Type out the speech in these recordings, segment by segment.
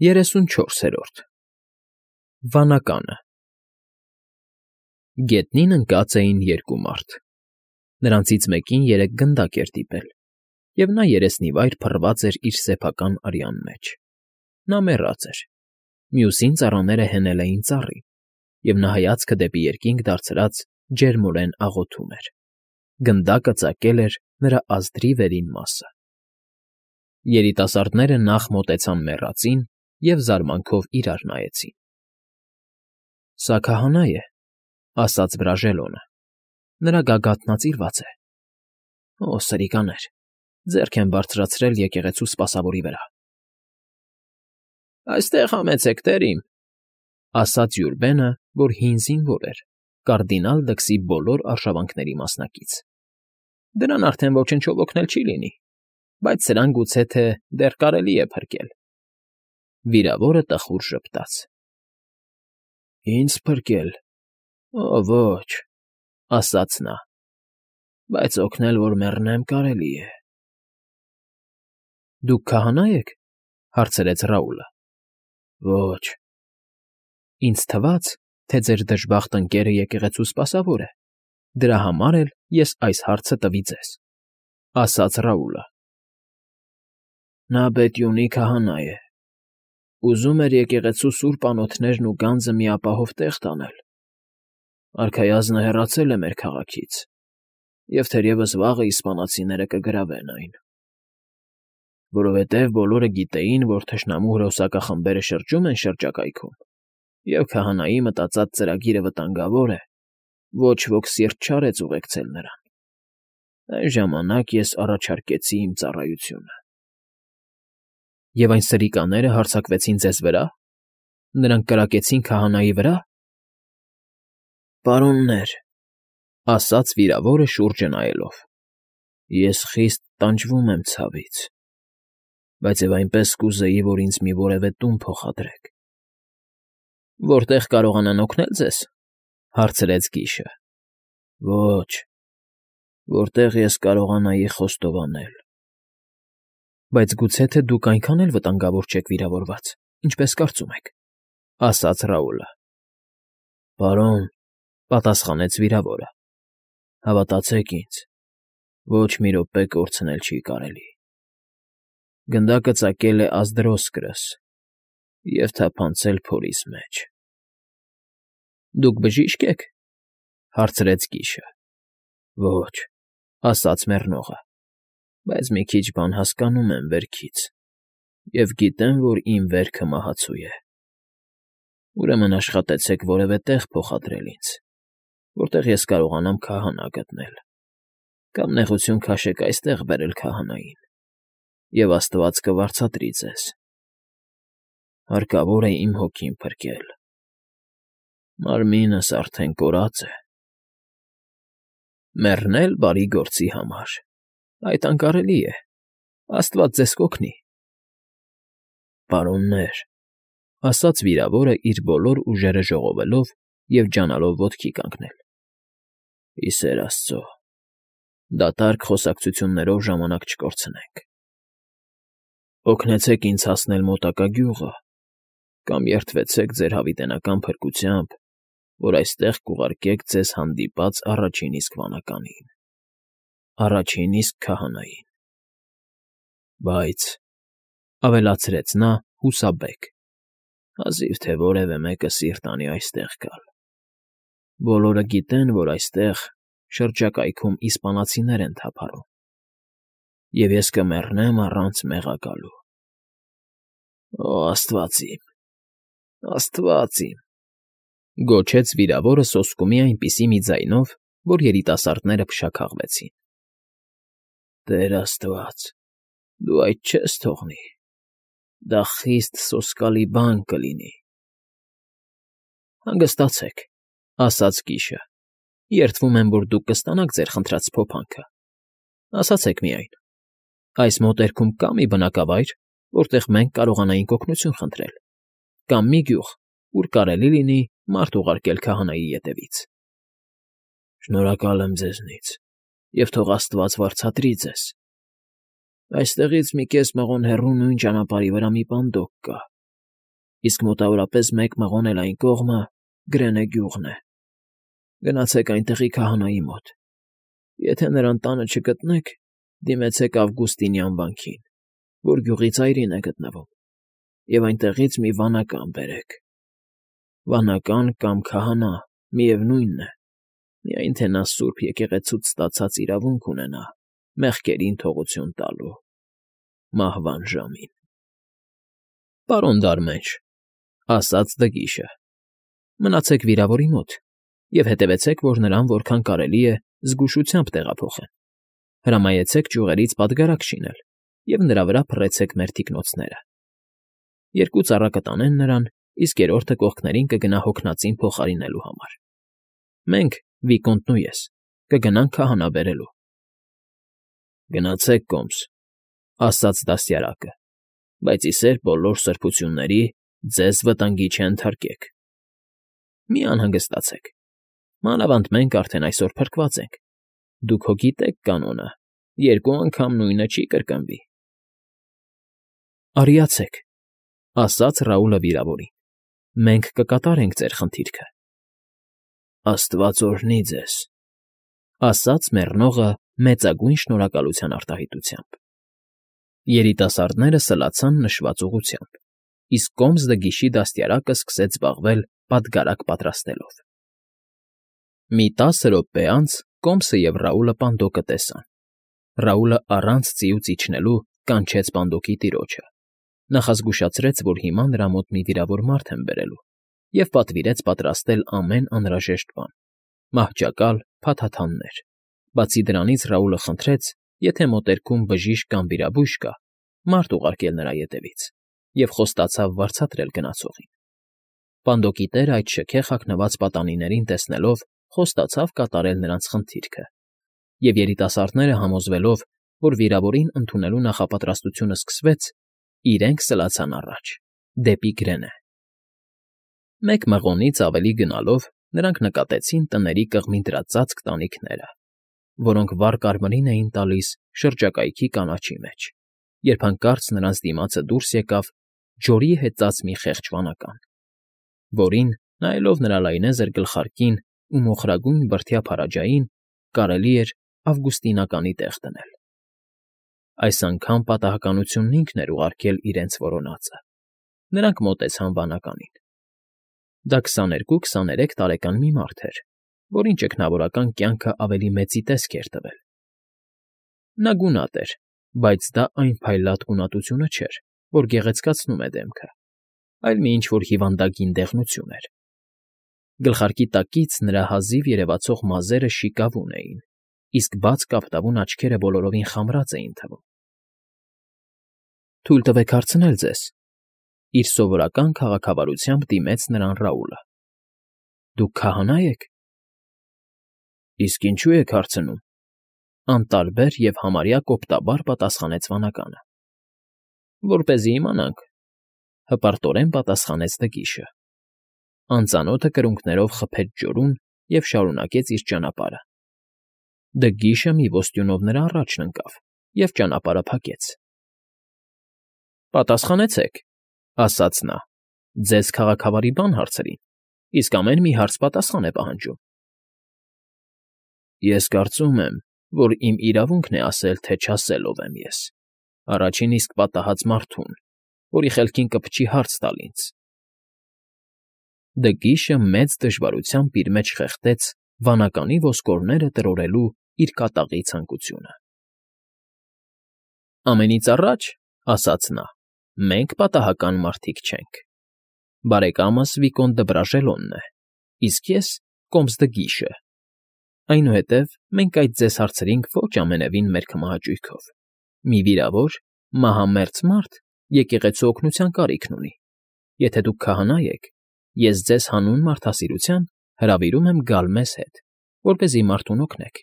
34-րդ Վանականը Գետնին ընկած էին երկու մարդ. նրանցից մեկին երեք գնդակ էր դիպել, և նա երեսնիվայր փռված էր իր սեփական արյան մեջ. նա մեռած էր, մյուսին ծառաները հենել էին ծառի, և նա հայացքը դեպի երկինք դարձրած ջերմորեն աղոթում էր. գնդակը ծակել էր նրա ազդրի վերին մասը. Երիտասարդները նախ մոտեցան մեռածին և զարմանքով իրար նայեցին։ ֊ Սա քահանա է,֊ ասաց Բրաժելոնը,֊ նրա գագաթն ածիրված է։ ֊ Օ, սրիկաներ, ձեռք եմ բարձրացրել եկեղեցու սպասավորի վրա։ ֊ Այստեղ համեցեք, տեր իմ,֊ ասաց Յուրբենը, որ հին զինվոր էր, կարդինալ դքսի բոլոր արշավանքների մասնակից։ ֊ Դրան արդեն ոչնչով օգնել չի լինի, բայց սրան գուցե թե դեռ կարելի է փրկել։ Վիրավորը տխուր ժպտաց։ ֊ Ինձ փրկել… Օ, ոչ,֊ ասաց նա,֊ բայց օգնել, որ մեռնեմ, կարելի է։ ֊ Դուք քահանա եք,֊ հարցրեց Ռաուլը։ ֊ Ոչ։ ֊ Ինձ թվաց, թե ձեր դժբախտ ընկերը եկեղեցու սպասավոր է, դրա համար էլ ես այս հարցը տվի ձեզ,֊ ասաց Ռաուլը։ ֊ Նա բետյունի քահանա է, ուզում էր եկեղեցու սուրբ անոթներն ու գանձը մի ապահով տեղ տանել։ Արքայազնը հեռացել է մեր քաղաքից, և թերևս վաղը իսպանացիները կգրավեն այն։ Որովհետև բոլորը գիտեին, որ թշնամու հրոսակախմբերը շրջում են շրջակայքում, և քահանայի մտածած ծրագիրը վտանգավոր է, ոչ ոք սիրտ չարեց ուղեկցել նրան։ Այն ժամանակ ես առաջարկեցի իմ ծառայությունը։ ֊ Եվ այն սրիկաները հարձակվեցին ձեզ վրա։ Նրանք կրակեցին քահանայի վրա։ ֊ Պարոններ,֊ ասաց վիրավորը շուրջը նայելով,֊ ես խիստ տանջվում եմ ցավից, բայց և այնպես կուզեի, որ ինձ մի որևէ տուն փոխադրեք։ ֊ Որտեղ կարողանան օգնել ձեզ,֊ հարցրեց Կիշը։ ֊ Ոչ, որտեղ ես կարողանայի խոստովանել։ ֊ Բայց գուցե թե դուք այնքան էլ վտանգավոր չեք վիրավորված, ինչպես կարծում եք,֊ ասաց Ռաուլը։ ֊ Պարոն,֊ պատասխանեց վիրավորը,֊ հավատացեք ինձ, ոչ մի րոպե կորցնել չի կարելի։ Գնդակը ծակել է Ազդրոսկրս և թափանցել փորիս մեջ։ ֊ Դուք բժիշկ եք,֊ հարցրեց Կիշը։ ֊ Ոչ,֊ ասաց մեռնողը,֊ բայց մի քիչ բան հասկանում եմ վերքից և գիտեմ, որ իմ վերքը մահացու է։ Ուրեմն աշխատեցեք որևէ տեղ փոխադրել ինձ, որտեղ ես կարողանամ քահանա գտնել, կամ նեղություն քաշեք այստեղ բերել քահանային, և աստված կվարձատրի ձեզ։ Հարկավոր է իմ հոգին փրկել։ Մարմինս արդեն կորած է։ ֊ Մեռնել բարի գործի համար… Այդ անկարելի է… Աստված ձեզ կօգնի։ ֊ Պարոններ,֊ ասաց վիրավորը իր բոլոր ուժերը ժողովելով և ջանալով ոտքի կանգնել,֊ ի սեր աստծո, դատարկ խոսակցություններով ժամանակ չկորցնենք։ Օգնեցեք ինձ հասնել մոտակա գյուղը կամ երդվեցեք ձեր հավիտենական փրկությամբ, որ այստեղ կուղարկեք ձեզ հանդիպած առաջին իսկ վանականին, առաջին իսկ քահանային։ Բայց,֊ ավելացրեց նա հուսաբեկ, հազիվ թե որևէ մեկը սիրտ անի այստեղ գալ։ Բոլորը գիտեն, որ այստեղ շրջակայքում իսպանացիներ են թափառում, և ես կմեռնեմ առանց մեղա գալու։ Օ, աստված իմ, աստված իմ…֊ գոչեց վիրավորը սոսկումի այնպիսի մի ձայնով, որ երիտասարդները փշաքաղվեցին։ ֊ Տեր աստված, դու այդ չես թողնի… Դա խիստ սոսկալի բան կլինի։ ֊ Հանգստացեք,֊ ասաց Կիշը,֊ երդվում եմ, որ դուք կստանաք ձեր խնդրած փոփանքը։ Ասացեք միայն, այս մոտերքում կա՞ մի բնակավայր, որտեղ մենք կարողանայինք օգնություն խնդրել, կամ մի գյուղ, ուր կարելի լինի մարդ ուղարկել քահանայի ետևից։ ֊ Շնորհակալ եմ ձեզնից, և թող աստված վարձատրի ձեզ։ Այստեղից մի կես մղոն հեռու նույն ճանապարհի վրա մի պանդոկ կա, իսկ մոտավորապես 1 մղոն էլ այն կողմը Գրենե գյուղն է։ Գնացեք այնտեղի քահանայի մոտ։ Եթե նրան տանը չգտնեք, դիմեցեք Ավգուստինյան վանքին, որ գյուղի ծայրին է գտնվում, և այնտեղից մի վանական բերեք։ Վանական կամ քահանա, միևնույնն է, միայն թե նա Սուրբ Եկեղեցուց ստացած իրավունք ունենա մեղքերին թողություն տալու մահվան ժամին։ ֊ Պարոն Դարմենջ,֊ ասաց Դգիշը,֊ մնացեք վիրավորի մոտ և հետևեցեք, որ նրան որքան կարելի է զգուշությամբ տեղափոխեն։ Հրամայեցեք ճյուղերից պատգարակ շինել և նրա վրա փռեցեք մեր թիկնոցները։ 2 ծառա կտանեն նրան, իսկ 3-ը կողքներին կգնա հոգնածին փոխարինելու համար։ Մենք, վիկոնտն ու ես, կգնանք քահանա բերելու։ ֊ Գնացեք կոմս,֊ ասաց դաստիարակը, բայց ի սեր բոլոր սրբությունների ձեզ վտանգի չենթարկեք։ ֊ Մի անհանգստացեք, մանավանդ մենք արդեն այսօր փրկված ենք, դուք հո գիտեք կանոնը, 2 անգամ նույնը չի կրկնվի։ ֊ Արիացեք,֊ ասաց Ռաուլը վիրավորին,֊ մենք կկատարենք ձեր խնդիրքը։ ֊ Աստված օրհնի ձեզ,֊ ասաց մեռնողը մեծագույն շնորհակալության արտահայտությամբ։ Երիտասարդները սլացան նշված ուղղությամբ, իսկ կոմս Դգիշի դաստիարակը սկսեց զբաղվել պատգարակ պատրաստելով։ Մի 10 րոպե անց Կոմսը և Ռաուլը Պանդոկը տեսան։ Ռաուլը առանց ծիուց իջնելու կանչեց Պանդոկի տիրոջը, նախազգուշացրեց, որ հիմա նրա մոտ մի վիրավոր մարդ են բերելու, և պատվիրեց պատրաստել ամեն անհրաժեշտ բան՝ մահճակալ, փաթաթաններ։ Բացի դրանից Ռաուլը խնդրեց, եթե մոտերքում բժիշկ կամ վիրաբույժ կա, մարդ ուղարկել նրա ետևից, և խոստացավ վարձատրել գնացողին։ Պանդոկի տերը այդ շքեղ հագնված պատանիներին տեսնելով խոստացավ կատարել նրանց խնդիրքը, և երիտասարդները համոզվելով, որ վիրավորին ընդունելու նախապատրաստությունը սկսվեց, իրենք սլացան առաջ, դեպի Գրենը։ 1 մղոնից ավելի գնալով նրանք նկատեցին տների կողմին դրած ծածկ տանիքները, որոնք վառ կարմիրին էին տալիս շրջակայքի կանաչի մեջ, երբ հանկարծ նրանց դիմացը դուրս եկավ ջորի հեծած մի խեղճ վանական, որին, նայելով նրա լայնեզր գլխարկին ու մոխրագույն բրդյա փարաջային, կարելի էր ավգուստինականի տեղ դնել։ Այս անգամ պատահականությունն ինքն էր ուղարկել իրենց որոնածը։ Նրանք մոտեցան վանականին։ Դա 22-23 տարեկան մի մարդ էր, որին ճգնավորական կյանքը ավելի մեծի տեսք էր տվել։ Նա գունատ էր, բայց դա այն փայլատ գունատությունը չէր, որ գեղեցկացնում է դեմքը, այլ մի ինչ֊որ հիվանդագին դեղնություն էր։ Գլխարկի տակից նրա հազիվ երևացող մազերը շիկավուն էին, իսկ բաց կապտավուն աչքերը բոլորովին խամրած էին թվում։ ֊ Թույլ տվեք հարցնել ձեզ,֊ իր սովորական քաղաքավարությամբ դիմեց նրան Ռաուլը։ ֊ Դուք քահանա եք։ ֊ Իսկ ինչու եք հարցնում,֊ անտարբեր և համարյա կոպտաբար պատասխանեց վանականը։ ֊ Որպեսզի իմանանք,֊ հպարտորեն պատասխանեց Դգիշը։ Անծանոթը կրունկներով խփեց ջորուն և շարունակեց իր ճանապարհը։ Դգիշը մի ոստյունով նրա առաջն ընկավ և ճանապարհը փակեց։ ֊ Պատասխանեցեք,֊ ասաց նա,֊ ձեզ քաղաքավարի բան հարցրին, իսկ ամեն մի հարց պատասխան է պահանջում։ ֊ Ես կարծում եմ, որ իմ իրավունքն է ասել, թե չասել ով եմ ես, առաջին իսկ պատահած մարդուն, որի խելքին կփչի հարց տալ ինձ։ Դգիշը մեծ դժվարությամբ իր մեջ խեղդեց վանականի ոսկորները տրորելու իր կատաղի ցանկությունը։ ֊ Ամենից առաջ,֊ ասաց նա,֊ մենք պատահական մարդիկ չենք։ Բարեկամս Վիկոնտ դը Բրաժելոնն է, իսկ ես Կոմս Դգիշը։ Այնուհետև մենք այդ ձեզ հարցրինք ոչ ամենևին մեր քմահաճույքով։ Մի վիրավոր, մահամերձ մարդ եկեղեցու օգնության կարիքն ունի։ Եթե դուք քահանա եք, ես ձեզ հանուն մարդասիրության հրավիրում եմ գալ մեզ հետ, որպեսզի մարդուն օգնեք։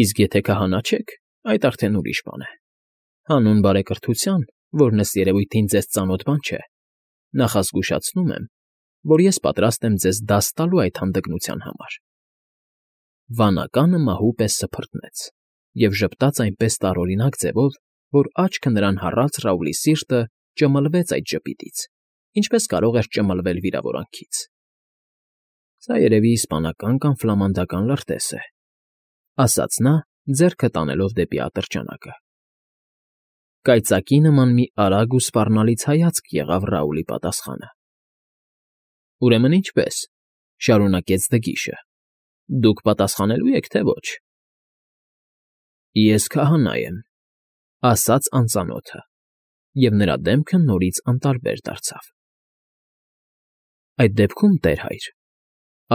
Իսկ եթե քահանա չեք, այդ արդեն ուրիշ բան է։ Հանուն բարեկրթության, որն ըստ երևույթին ձեզ ծանոթ բան չէ, նախազգուշացնում եմ, որ ես պատրաստ եմ ձեզ դաս տալու այդ հանդգնության համար։ Վանականը մահու պես սփռտնեց և ժպտաց այնպես տարօրինակ ձևով, որ աչքը նրան հառած Ռաուլի սիրտը ճմլվեց այդ ժպիտից։ ինչպես կարող էր ճմլվել վիրավորանքից։ Սա երևի իսպանական կամ ֆլամանդական լրտես է, ասաց նա, ձեռքը տանելով դեպի ատրճանակը։ Կայծակի նման մի արագ ու սպառնալից հայացք եղավ Ռաուլի պատասխանը։ Ուրեմն ինչպես, շարունակեց Դգիշը, դուք պատասխանելու եք, թե ոչ։ Ես քահանա եմ, ասաց անծանոթը, և նրա դեմքը նորից անտարբեր դարձավ։ Այդ դեպքում, տեր հայր,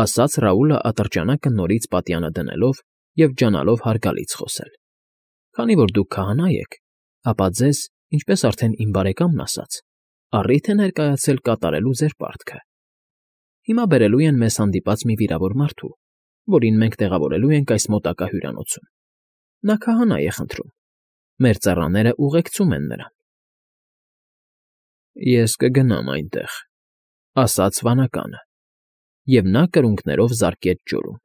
ասաց Ռաուլը ատրճանակը նորից պատյանը դնելով և ջանալով հարգալից խոսել, քանի որ դուք քահանա եք, ապա ձեզ, ինչպես արդեն իմ բարեկամն ասաց, առիթ է ներկայացել կատարելու ձեր պարտքը։ Հիմա բերելու են մեզ հանդիպած մի վիրավոր մարդու, որին մենք տեղավորելու ենք այս մոտակա հյուրանոցում։ Նա քահանա է խնդրում։ Մեր ծառաները ուղեկցում են նրան։ Ես կգնամ այնտեղ, ասաց վանականը, և նա կրունկներով զարկեց ջուրում։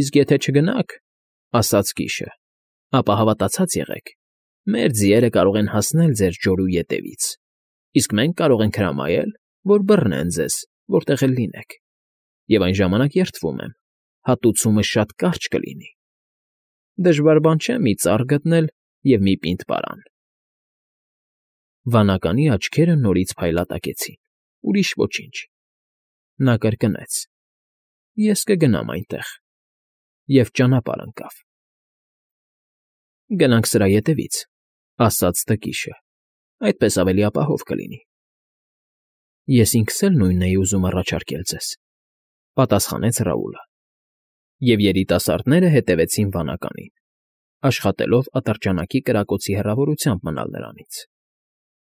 Իսկ եթե չգնաք, ասաց կիշը, ապա հավատացած եղեք, մեր ձիերը կարող են հասնել ձեր ջորու ետևից, իսկ մենք կարող ենք հրամայել, որ բռնեն ձեզ, որտեղ էլ լինեք, և այն ժամանակ երդվում եմ, հատուցումը շատ կարճ կլինի։ Դժվար բան չէ մի ծառ գտնել և մի պինդ պարան։ Վանականի աչքերը նորից փայլատակեցին, ուրիշ ոչինչ։ Նա կրկնեց. Ես կգնամ այնտեղ, և ճանապարհ ընկավ։ Գնանք սրա ետևից, ասաց Դգիշը, այդպես ավելի ապահով կլինի։ Ես ինքս էլ նույնն էի ուզում առաջարկել ձեզ, պատասխանեց Ռաուլը, և երիտասարդները հետևեցին վանականին, աշխատելով ատրճանակի կրակոցի հեռավորությամբ մնալ նրանից։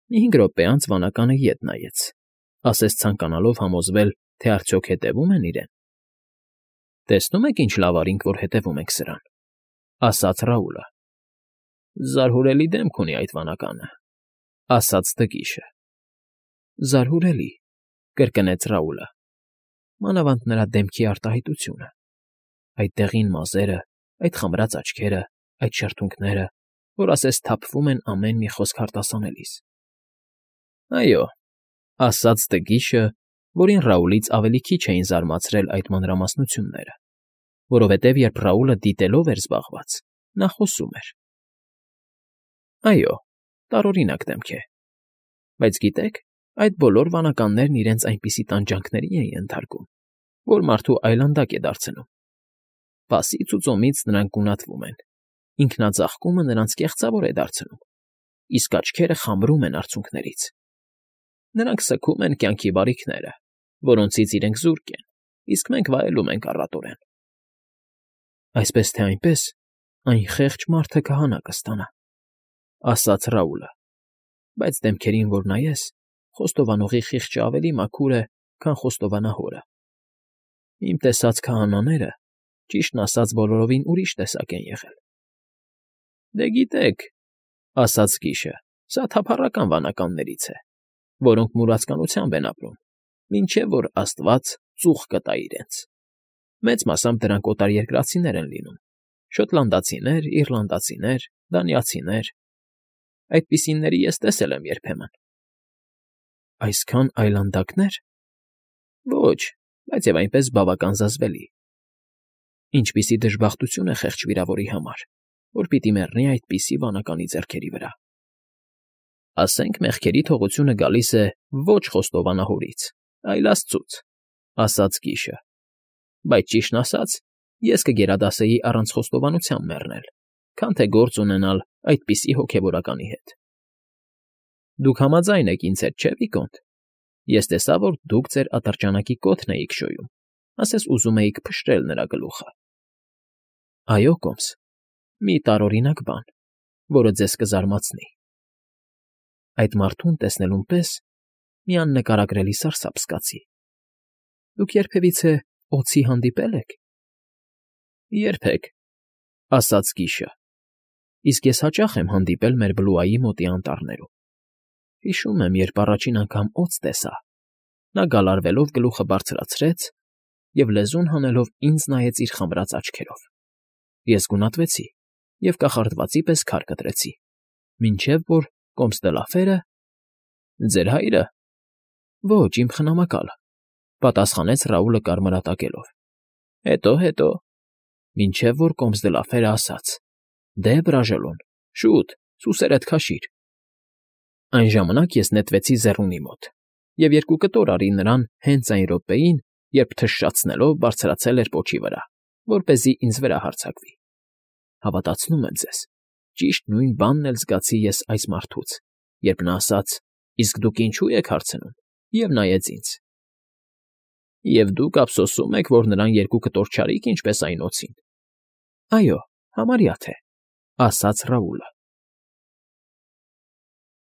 Մի 5 րոպե անց վանականը ետ նայեց, ասես ցանկանալով համոզվել, թե արդյոք հետևում են իրեն։ Տեսնում եք ինչ լավ արինք, որ հետևում ենք սրան, ասաց Ռաուլը։ Զարհուրելի դեմք ունի այդ վանականը, ասաց Դգիշը։ Զարհուրելի, կրկնեց Ռաուլը, մանավանդ նրա դեմքի արտահայտությունը, այդ դեղին մազերը, այդ խմրած աչքերը, այդ շրթունքները, որ ասես թափվում են ամեն մի խոսք արտասանելիս։ Այո, ասաց Դգիշը, որին Ռաուլից ավելի քիչ էին զարմացրել այդ մանրամասնությունները, որովհետև երբ Ռաուլը դիտելով էր զբաղված, նա խոսում էր։ Այո, տարօրինակ դեմք է, բայց գիտեք, այդ բոլոր վանականներն իրենց այնպիսի տանջանքների են ենթարկում, որ մարդու այլանդակ է դարձնում։ Պասից ու ծոմից նրանք գունատվում են, ինքնաձաղկումը նրանց կեղծավոր է դարձնում, իսկ աչքերը խամրում են արցունքներից։ Նրանք սգում են կյանքի բարիքները, որոնցից իրենք զուրկ են, իսկ մենք վայելում ենք առատորեն։ Այսպես թե այնպես, այն խեղճ մարդը քահանա կստանա, ասաց Ռաուլը, բայց դեմքերին, որ նայես, խոստովանողի խիղճը ավելի մաքուր է, քան խոստովանահորը։ Իմ տեսած քահանաները, ճիշտն ասած, բոլորովին ուրիշ տեսակ են եղել։ Դե գիտեք, ասաց կիշը, սա թափառական վանականներից է, որոնք մուրացկանությամբ են ապրում, մինչև որ Աստված ծուխ կտա իրենց։ Մեծ մասամբ դրանք օտարերկրացիներ են լինում, շոտլանդացիներ, իռլանդացիներ, դանիացիներ։ Այդպիսիների ես տեսել եմ երբեմն։ Այսքան այլանդակնե՞ր։ Ոչ, բայց և այնպես բավական զզվելի։ Ինչպիսի դժբախտություն է խեղճ վիրավորի համար, որ պիտի մեռնի այդպիսի վանականի ձեռքերի վրա։ Ասենք մեղքերի թողությունը գալիս է ոչ խոստովանահորից, այլ Աստծուց, ասաց կիշը, բայց ճիշտն ասած, ես կգերադասեի առանց խոստովանության մեռնել, քան թե գործ ունենալ այդպիսի հոգևորականի հետ։ Դուք համաձայն եք ինձ հետ, չէ՞, Վիկոնտ։ Ես տեսա, որ դուք ձեր ատրճանակի կոթն էիք շոյում, ասես ուզում էիք փշրել նրա գլուխը։ Այո, կոմս, մի տարօրինակ բան, որը ձեզ կզարմացնի։ Այդ մարդուն տեսնելուն պես մի աննկարագրելի սարսափ զգացի։ Դուք երբևիցե օձի հանդիպե՞լ եք։ Երբեք, ասաց կիշը, իսկ ես հաճախ եմ հանդիպել մեր Բլուայի մոտի անտառներում։ Հիշում եմ, երբ առաջին անգամ օձ տեսա, նա գալարվելով գլուխը բարձրացրեց և լեզուն հանելով ինձ նայեց իր խմրած աչքերով։ Ես գունատվեցի և կախարդվածի պես քար կտրեցի, մինչև որ կոմս դը Լաֆերը Ձեր հայրը։ Ոչ, իմ խնամակալը,֊ պատասխանեց Ռաուլը կարմրատակելով։ Հետո, մինչև որ Կոմսդլաֆերը ասաց. «Դե, Բրաժոլոն, շուտ, սուսերդ քաշիր»։ Այն ժամանակ ես նետվեցի ձեռունի մոտ և 2 կտոր արի նրան հենց այն րոպեին, երբ թշշացնելով բարձրացել էր պոչի վրա, որպեսզի ինձ վրա հարձակվի։ Հավատացնում եմ ձեզ, ճիշտ նույն բանն էլ զգացի ես այս մարդուց, երբ նա ասաց. «Իսկ դուք ինչո՞ւ եք հարցնում» և նայեց ինձ։ Եվ դուք ափսոսում եք, որ նրան 2 կտոր չարիք, ինչպես այն օձին։ Այո, համարյա թե,֊ ասաց Ռաուլը։